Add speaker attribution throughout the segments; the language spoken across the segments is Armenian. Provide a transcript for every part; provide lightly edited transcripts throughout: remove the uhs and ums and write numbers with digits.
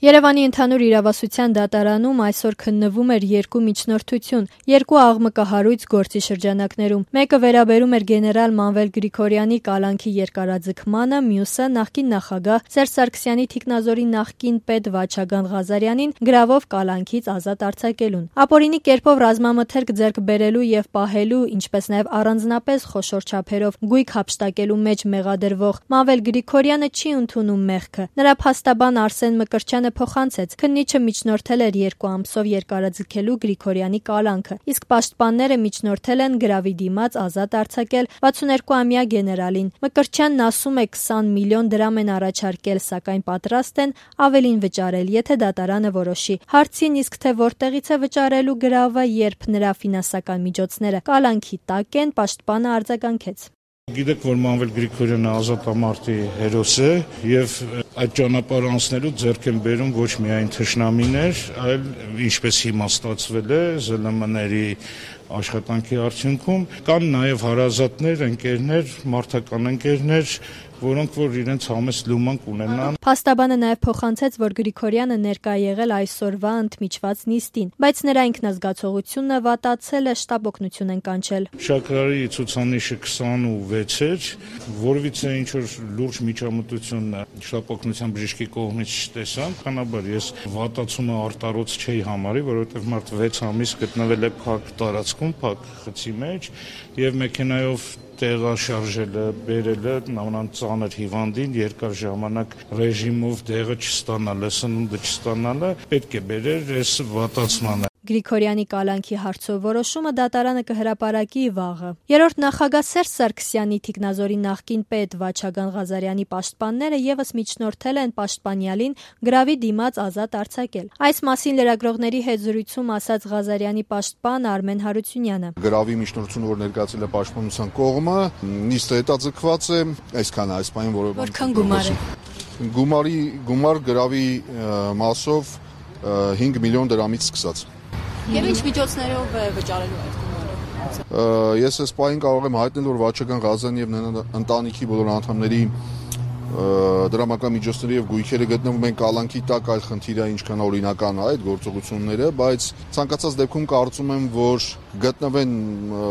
Speaker 1: Երևանի ընդհանուր իրավասության դատարանում այսօր քննվում էր երկու միջնորդություն, երկու աղմկահարույց գործի շրջանակներում։ Մեկը վերաբերում էր գեներալ Մանվել Գրիգորյանի կալանքի երկարաձգմանը, մյուսը նախկին նախագահ Սերժ Սարգսյանի թիկնազորի նախկին պետ Վաչագան Ղազարյանին գրավով կալանքից ազատ արձակելուն։ Ապօրինի կերպով ռազմամթերք ձեռք բերելու եւ պահելու, ինչպես նաեւ առանձնապես խոշոր չափերով գույք հափշտակելու մեջ մեղադրվող Մանվել Գրիգորյանը չի ընդունում մեղքը։ Նրա փաստաբան Արսեն Մկրտչյանը փոխանցեց, քննիչը միջնորդել էր 2 ամսով երկարաձգելու Գրիգորյանի կալանքը, իսկ պաշտպանները միջնորդել են գրավի դիմաց ազատ արձակել 62-ամյա գեներալին։ Մկրտչյանն ասում է 20 միլիոն դրամ են առաջարկել, սակայն պատրաստ են ավելին վճարել, եթե դատարանը որոշի։ Հարցին իսկ թե որտեղից է վճարելու գրավը, երբ նրա ֆինանսական միջոցները կալանքի տակ են, պաշտպանը արձագանքեց.
Speaker 2: Գիտեք, որ Մանվել Գրիգորյանը ազատամարտի հերոս է եւ այդ ճանապարհը անցնելու ձեռք են բերում ոչ միայն թշնամիներ, այլ ինչպես հիմա ստացվել է ԶԼՄ-ների աշխատանքի արդյունքում կան նաեւ հարազատներ, ընկերներ, մարդական ընկերներ, որոնք որ իրենց համեստ լումանք ունենան։
Speaker 1: Փաստաբանը նաեւ փոխանցեց, որ Գրիգորյանը ներկա եղել այսօրվա ընդմիջված նիստին, բայց նրա ինքնազգացողությունը վատացել է, շտապ օգնություն են կանչել։
Speaker 2: Շաքարի ցուցանիշը 26 էր, որովհետեւ ինչ որ լուրջ միջամտություն շտապ օգնության բժշկի կողմից չտեսան, բնականաբար ես վատացումը արտարոց չէի համարի, որովհետեւ մարդ 6 ամիս գտնվել է փակ տարածքում, փակ խցի մեջ եւ մեքենայով տեղաշարժելը, բերելը նամանան ծանր հիվանդին երկար ժամանակ ռեժիմով դեղը չստանալը, սնունդը չստանալը պետք է բերեր այս վատացմանը։
Speaker 1: Գրիգորյանի կալանքի հարցով որոշումը դատարանը կհրապարակի վաղը։ Երրորդ նախագահ Սերժ Սարգսյանի թիկնազորի նախկին պետ Վաչագան Ղազարյանի պաշտպանները եւս միջնորդել են պաշտպանյալին գրավի դիմաց ազատ արձակել։ Այս մասին լրագրողների հետ զրույցում ասաց Ղազարյանի պաշտպան Արմեն Հարությունյանը։
Speaker 3: Գրավի միջնորդությունը, որ ներկայացել է պաշտպանության կողմը, նիստը հետաձգված է, այսքան այս պայն,
Speaker 1: որքան գումար է։
Speaker 3: Գումար գրավի մասով 5 միլիոն դրամից սկսած։
Speaker 1: Եվ ինչ միջոցներով է վճարելու այդ գումարը։
Speaker 3: Ես այս պահին կարող եմ հայտնել, որ Վաչագան Ղազարյանի եւ նրա ընտանիքի բոլոր անդամների դրամական միջոցները եւ գույքերը գտնվում են կալանքի տակ, այլ խնդիրը ինչքան օրինական է այդ գործողությունները, բայց ցանկացած դեպքում կարծում եմ, որ գտնվեն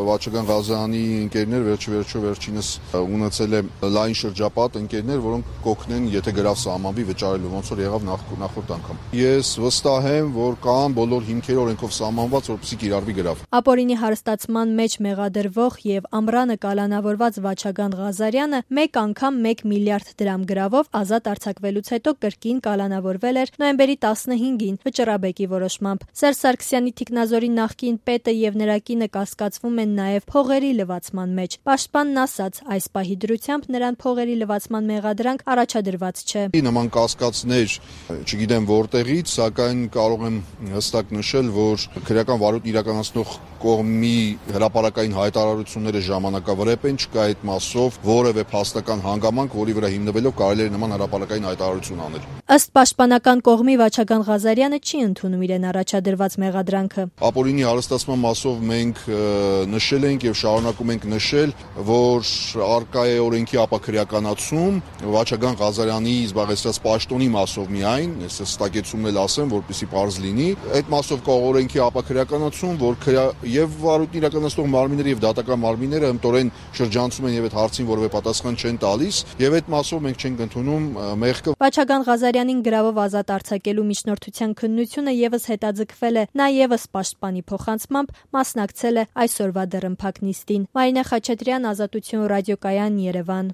Speaker 3: Վաչագան Ղազարյանի ընկերներ, վերջինս ունեցել է լայն շրջապատ ընկերներ, որոնք կօգնեն, եթե գրավ սահմանվի վճարելու, ոնց որ եղավ նախորդ անգամ։ Ես վստահ եմ, որ կան բոլոր հիմքերը օրենքով սահմանված, որպեսզի կիրառվի գրավ։
Speaker 1: Ապօրինի հարստացման մեջ մեղադրվող եւ ամռանը կալանավորված Վաչագան Ղազարյանը մեկ անգամ 1 միլիարդ դրամ գրավով ազատ արձակվելուց հետո կրկին կալանավորվել էր նոյեմբերի 15-ին Վճռաբեկի որոշմամբ։ Սերժ Սարգսյանի թիկնազորի նախկին պետը եւ նրա կինը կասկածվում են նաեւ փողերի լվացման մեջ։ Պաշտպանն ասաց, այս պահի դրությամբ նրան փողերի լվացման մեղադրանք առաջադրված չէ։
Speaker 3: Նման կասկածներ չգիտեմ որտեղից, սակայն կարող եմ հստակ նշել, որ քրեական վարույթ իրականացնող կողմի հրապարակային հայտարարությունները ժամանակավրեպ են, չկա այդ մասով որևէ փաստական հանգամանք, որի վրա հիմնվելով կարելի է նման հրապարակային հայտարարություն անել։
Speaker 1: Ըստ պաշտպանական կողմի Վաչագան Ղազարյանը չի ընդունում իրեն առաջադրված մեղադրանքը։
Speaker 3: Ապօրինի հարստացման մասով մենք նշել ենք եւ շարունակում ենք նշել, որ արկա է օրենքի ապաքրեականացում Վաչագան Ղազարյանի զբաղեցրած պաշտոնի մասով միայն, ես հստակեցումն էլ ասեմ, որպեսզի պարզ լինի, այդ մասով կա օրենքի ապաքրեականացում, որ եւ վարույթ իրականացնող մարմինները եւ դատական մարմինները ըմտորեն շրջանցում են եւ այդ հարցին որևէ պատասխան չեն տալիս եւ այդ մասով մենք չենք ընդունում մեղքը։
Speaker 1: Վաչագան Ղազարյանին գրավով ազատ արձակելու միջնորդության քննությունը եւս հետաձգվել է, նա եւս պաշտպանի փոխանցմամբ մասնակցել է այսօրվա դռնփակ նիստին։ Մարինե Խաչատրյան, Ազատություն ռադիոկայան, Երևան։